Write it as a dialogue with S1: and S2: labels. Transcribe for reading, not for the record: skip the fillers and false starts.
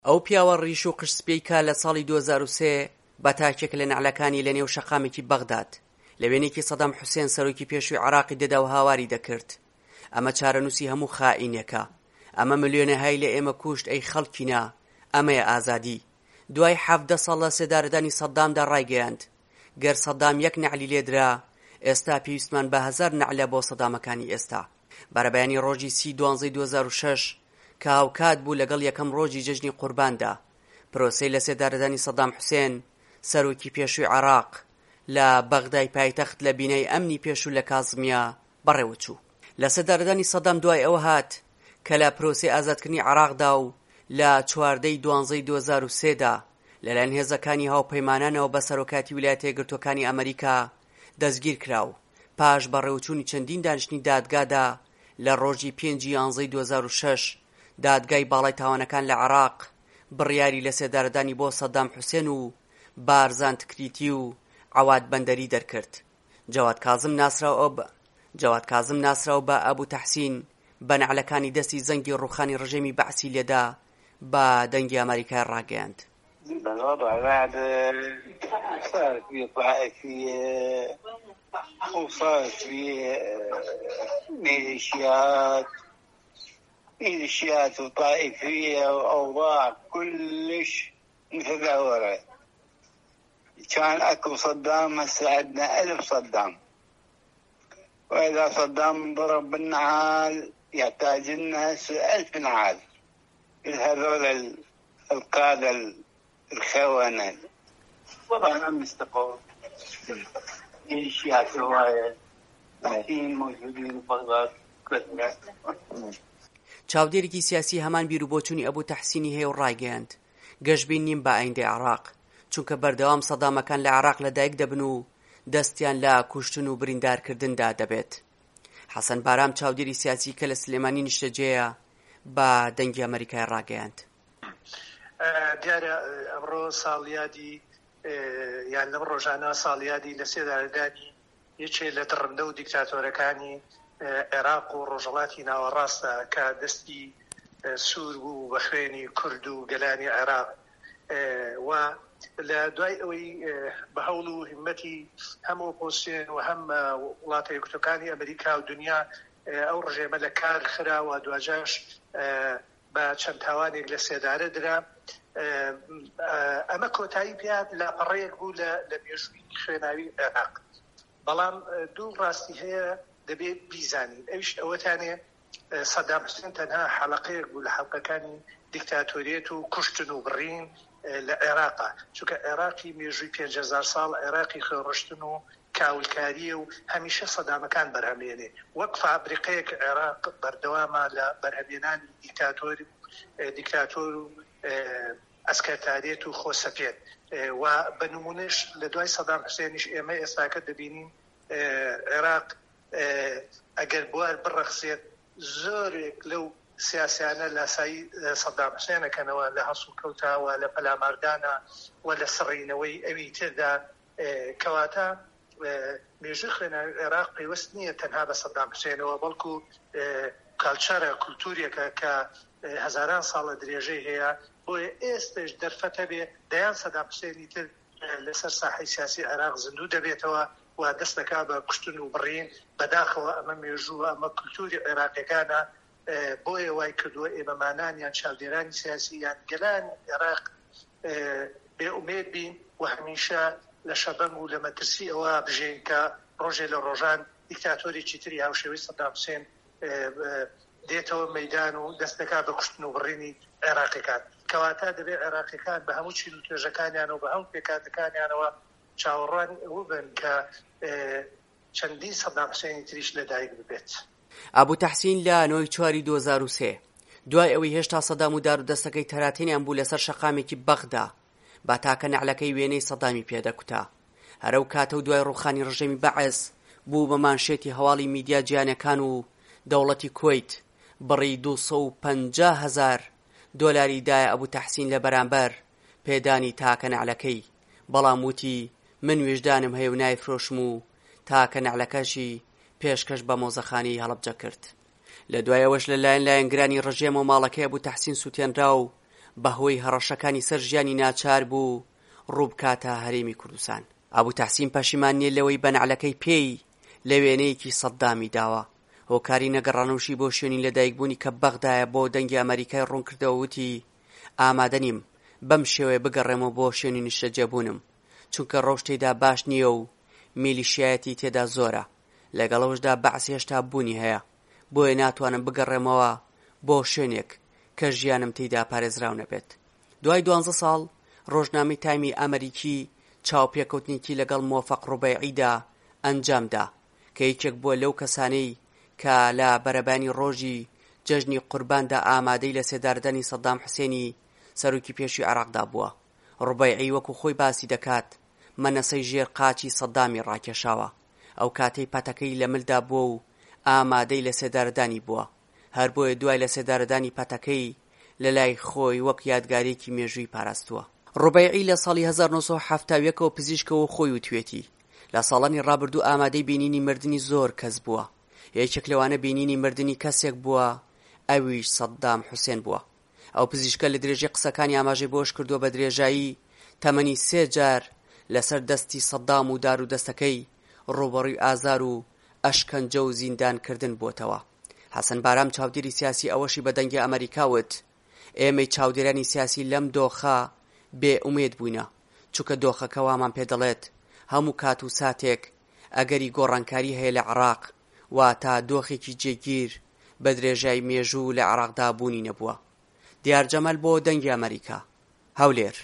S1: ئەو پیاوە ڕیش و قژ سپیەی کە لە ساڵی 2003 بە تاکێک لە نەعلەکانی لە نێو شەقامێکی بەغداد لە وێنەیەکی سەدام حوسێن سەرۆکی پێشووی عێراقی دەدا و هاواری دەکرد ئەمە چارەنووسی هەموو خائینێکە ئەمە ملیۆنەهای لە ئێمە کوشت ئەی خەڵکینە ئەمەیە ئازادی دوای 17 ساڵ لە سێدارەدانی سەدامدا ڕایگەیاند گەر سەدام یەک نەعلی لێدرا ئێستا پێویستمان بە هەزار نەعلە بۆ سەدامەکانی ئێستا. بەرەبەیانی ڕۆژی سی دوانزەی 2006 کە هاوکات بوو لەگەڵ یەکەم ڕۆژی جەژنی قورباندا، پرۆسەی لەسێدارەدانی سەدام حوسێن، سەرۆکی پێشووی عێراق، لە بەغدای پایتەخت لە بینای ئەمنی پێشوو لە کازمیە بەڕێوەچوو. لەسێدارەدانی سەدام دوای ئەوە هات کە لە پرۆسەی ئازادکردنی عێراقدا و لە 14 ی دوانزەی 2003 دا لەلایەن هێزەکانی هاوپەیمانانەوە بە سەرۆکایەتی ویلایەتە یەکگرتووەکانی ئەمەریکا دەستگیرکرا و پاش بەڕێوەچوونی چەندین دانیشتنی دادگادا لە ڕۆژی پێنج ی یانزەی 2006 دادگای باڵای تاوانەکان لە عێراق بڕیاری لەسێدارەدانی بۆ سەدام حوسێن و بارزان تکریتی و عەواد بەندەری دەرکرد. جەواد کازم ناسراو بە جەواد کازم ناسراو بە ئەبو تەحسین بە نەعلەکانی دەستی زەنگی ڕووخانی ڕژێمی بەعسی لێدا بە دەنگی ئەمەریکای ڕاگەیاند.
S2: الوضع بعد صارت بيه طائفية وصارت بيه ميليشيات ميليشيات وطائفية وأوضاع كلش متدهورة كان اكو صدام هسه عندنا ألف صدام وإذا صدام انضرب بالنعال يحتاج لنا هسه ألف نعال هذول القادة الخونة وضعنا مستقر ميليشيات هواية بعثيين موجودين ببغداد كلها
S1: چاودێرێکی سیاسی هەمان بیروبۆچوونی ئەبو تەحسینی هەیە و ڕایگەیاند، گەشبین نیم بە ئایندەی عێراق، چونکە بەردەوام سەدامەکان لە عێراق لەدایک دەبن و دەستیان لە کوشتن و بریندارکردندا دەبێت. حەسەن بارام چاودێری سیاسی کە لە سلێمانی نیشتەجێیە بە دەنگی ئەمەریکای ڕاگەیاند.
S3: دیارە ئەمڕۆ ساڵیادی یان لەم ڕۆژانە ساڵیادی لە سێدارەدانی یەکێ لە دڕندە و دیکتاتۆرەکانی عێراق و ڕۆژهەڵاتی ناوەڕاستە کە دەستی سوور بوو بە خوێنی کورد و گەلانی عێراق و لە دوای ئەوەی بە هەوڵ و هیمەتی هەم ئۆپۆزسیۆن و هەم وڵاتە یەکگرتووەکانی ئەمریکا و دنیا ئەو ڕژێمە لە کار خرا و دواجارش بە چەند تاوانێک لە سێدارە درا. ئەمە کۆتایی پێهات لاپەڕەیەک بوو لە لە مێژووی خوێناوی عێراق. بەڵام دوو ڕاستی هەیە دەبێ بیزانین ئەویش ئەوەتانێ سەدام حوسێن تەنها حەڵەقەیەک بوو لە حەڵقەکانی دیکتاتۆریەت و کوشتن و بڕین لە عێراقا چونکە عێراقی مێژووی 5000 ساڵ عێراقی خوێنڕشتن و کاولکارییە و هەمیشە سەدامەکان بەرهەمێنێ وەک فابریقەیەک عێراق بەردەوامە لە بەرهەمێنانی دیکتاتۆر دیکتاتۆر و ئەسکەرتاریەت و خۆسەپێن و بە نمونەش لە دوای سەدام حوسێنیش ئێمە ئێستاکە دەبینین عێراق ئەگەر بوار بڕەخسێت زۆرێک لەو سیاسیانە لاسایی سەدام حوسێن ئەکەنەوە لە هەڵسوکەوتا و لە پەلاماردانا و لە سڕینەوەی ئەوی تردا کەواتە مێژووی خوێناوی عێراق پەیوەست نییە تەنها بە سەدام حوسێنەوە بەڵکو کالچەرە کولتوورێکە کە هەزاران ساڵە درێژەی هەیە بۆیە ئێستش دەرفەت هەبێ دەیان سەدام حوسێنی تر لەسەر ساحەی سیاسی عێراق زیندوو دەبێتەوە و دەست دەکا بە کوشتن و بڕین بەداخەوە ئەمە مێژووە ئەمە کولتووری عێراقیەکانە بۆیە وای کردووە ئێمەمانان یان چاودێرانی سیاسی یان گەلانی عێراق بێ ئومێد بین و هەمیشە لە شەبەنگ و لە مەترسی ئەوە بژین کە ڕۆژێ لە ڕۆژان دیکتاتۆرێکی تری هاوشێوەی سەدام حوسێن دێتەوە مەیدان و دەست دەکات بە کوشتن و بڕینی عێراقیەکان. کەواتە دەبێت عێراقیەکان بە هەموو چین و توێژەکانیانەوە بە هەموو پێکهاتەکانیانەوە چاوەڕوانی ئەوە بن کە چەندین سەدام حوسێنی تریش لەدایک ببێت.
S1: ئەبو تەحسین لە نۆی چواری 2003 دوای ئەوەی هێشتا سەدام و دارودەستەکەی تەراتێنیان بوو لەسەر شەقامێکی بەغدا بە تاکە نەعلەکەی وێنەی سەدامی پێدەکوتا هەر ئەو کاتە و دوای ڕووخانی ڕژێمی بەعس بوو بە مانشێتی هەواڵی میدیا جیهانیەکان و دەوڵەتی کوەیت بڕی 250 هەزار دۆلاری دایە ئەبو تەحسین لە بەرامبەر پێدانی تاکە نەعلەکەی بەڵام وتی من ویژدانم هەیە و نایفرۆشم و تاکە نەعلەکەشی پێشکەش بە مۆزەخانەی هەڵەبجە کرد. لە دوای ئەوەش لە لایەن لایەنگرانی ڕژێمەوە ماڵەکەی ئەبو تەحسین سوتێنرا و. بەهۆی هەڕەشەکانی سەر ژیانی ناچار بوو ڕووبکاتە هەرێمی کوردستان. ئەبو تەحسین پەشیمان نییە لەوەی بە نەعلەکەی پێی لە وێنەیەکی سەددامی داوە. هۆکاری نەگەڕانەوشی بۆ شوێنی لەدایکبوونی کە بەغدایە بۆ دەنگی ئەمەریکای ڕوونکردەوە وتی ئامادە نیم بەم شێوەیە بگەڕێمەوە بۆ شوێنی نیشتەجێبوونم چونکە ڕەوش تێیدا باش نییە و میلیشیایەتی تێدا زۆرە لەگەڵ ئەوەشدا بەعس هێشتا بوونی هەیە بۆیە ناتوانم بگەڕێمەوە بۆ شوێنێک کە ژیانم تێیدا پارێزراو نەبێت. دوای دوانزە ساڵ، ڕۆژنامەی تایمی ئەمەریکی چاوپێکەوتنێکی لەگەڵ مۆفەق ڕوبەیعیدا ئەنجام دا، کە یەکێک بووە لەو کەسانەی کە لە بەرەبەیانی ڕۆژی جەژنی قورباندا ئامادەی لەسێدارەدانی سەدام حوسێنی سەرۆکی پێشووی عێراقدا بووە. ڕوبەیعی وەکو خۆی باسی دەکات، مەنەسەی ژێر قاچی سەدامی ڕاکێشاوە، ئەو کاتەی پەتەکەی لە ملدا بووە و ئامادەی لەسێدارەدانی بووە، هەر بۆیە دوای لەسێدارەدانی پەتەکەی لە لای خۆی وەک یادگارییەکی مێژووی پاراستووە. ڕوبەیعی لە ساڵی 1971 ەوە پزیشکە و خۆی وتویەتی، لە ساڵانی ڕابردوو ئامادەی بینینی مردنی زۆر کەس بووە، یەکێک لەوانە بینینی مردنی کەسێک بووە ئەویش سەدام حوسێن بووە. ئەو پزیشکە لە درێژەی قسەکانی ئاماژەی بەوەشکردووە، بە درێژایی تەمەنی سێ جار لەسەر دەستی سەدام و دارودەستەکەی ڕووبەڕووی ئازار و ئەشکەنجە و زیندانکردن بووەتەوە. حەسەن بارام چاودێری سیاسی ئەوەشی بە دەنگی ئەمەریکا وت، ئێمەی چاودێرانی سیاسی لەم دۆخە بێ ئومێد بووینە، چونکە دۆخەکە وامان پێ دەڵێت هەموو کات و ساتێک ئەگەری گۆڕانکاری هەیە لە عێراق، واتە دۆخێکی جێگیر بە درێژای مێژوو لە عێراقدا بوونی نەبووە. دیار جەمال بۆ دەنگی ئەمەریکا، هەولێر.